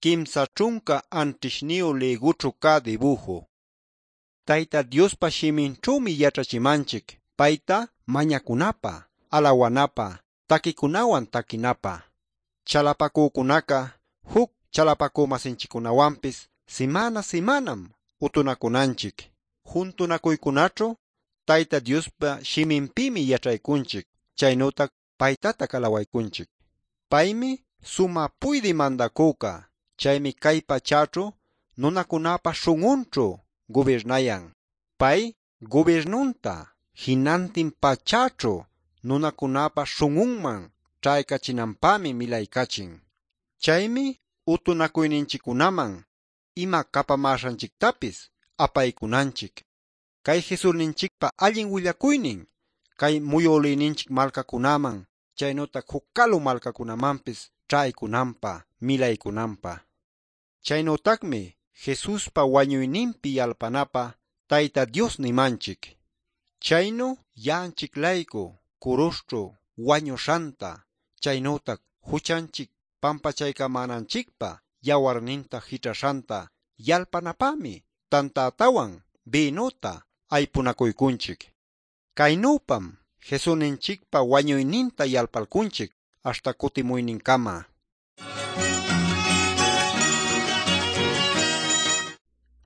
37 ligućhu cä dibuju. Tayta Diospa shiminćhümi yaćhachimanchic payta mañacunapä, alawanapä, taquicunawan taquinapä. Chalapacücunaca juc chalapacü-masinchiccunawanpis simana simanam utunacunanchic. Juntunacuycunaćhu Tayta Diospa shiminpïmi yaćhaycunchic, chaynütac paytatac alawaycunchic. Paymi sumä puydï mandacüca. Chaymi cay pachäćhu nunacunäpa śhun'unćhu gubirnayan. Pay gubirnunta jinantin pachäćhu nunacunäpa śhun'unman ćhaycachinanpämi milaycachin. Chaymi utunacuyninchiccunaman ima capamäśhanchictapis apaycunanchic. Cay Jesusninchicpa allin willacuynin cay muyülïninchic malcacunaman chaynütac juc calu malcacunamanpis ćhaycunanpä, milaycunanpä. Chaynütacmi Jesuspa wañuyninpi yalpanapä Tayta Dios nimanchic. Chaynu ya'anchic-laycu curuśhćhu wañuśhanta chaynütac juchanchic pampachaycamänanchicpä yawarninta jićhaśhanta yalpanapämi tantätawan bïnuta aypunacuycunchic. Caynüpam Jesusninchicpa wañuyninta yalpalcunchic aśhta cutimuynincama.